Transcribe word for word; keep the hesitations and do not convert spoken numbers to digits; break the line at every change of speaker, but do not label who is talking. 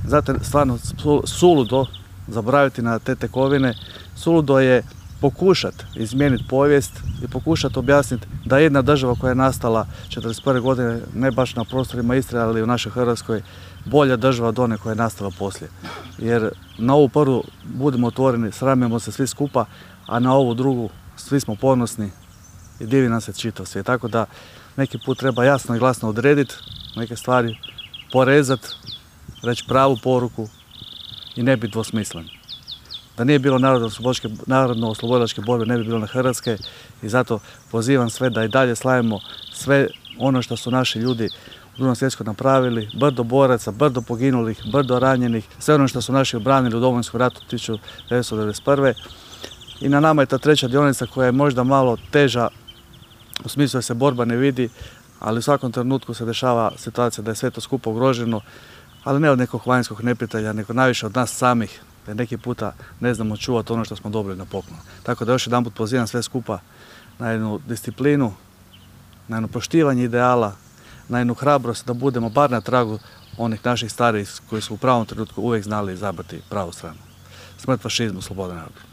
zato stvarno suludo zaboraviti na te tekovine, suludo je pokušati izmijeniti povijest i pokušati objasniti da jedna država koja je nastala četrdeset prve godine, ne baš na prostorima Istre, ali u našoj Hrvatskoj, bolja država od one koja je nastala poslije. Jer na ovu prvu, budemo otvoreni, sramimo se svi skupa, a na ovu drugu svi smo ponosni i divi nam se čitav svijet. Tako da neki put treba jasno i glasno odrediti neke stvari, porezati, reći pravu poruku i ne biti dvosmislen. Da nije bilo narodno-oslobodilačke borbe, ne bi bilo na Hrvatske i zato pozivam sve da i dalje slavimo sve ono što su naši ljudi u Drugom svjetskom napravili, brdo boraca, brdo poginulih, brdo ranjenih, sve ono što su naši obranili u Domovinskom ratu tisuću devetsto devedeset prve. I na nama je ta treća dionica koja je možda malo teža, u smislu da se borba ne vidi, ali u svakom trenutku se dešava situacija da je sve to skupo ugroženo, ali ne od nekog vanjskog neprijatelja, nego najviše od nas samih, da neki puta ne znamo čuvati ono što smo dobili na poklon. Tako da još jedanput pozivam sve skupa na jednu disciplinu, na jedno poštivanje ideala, na jednu hrabrost da budemo bar na tragu onih naših starijih koji su u pravom trenutku uvijek znali izabrati pravu stranu. Smrt fašizmu, sloboda narodu.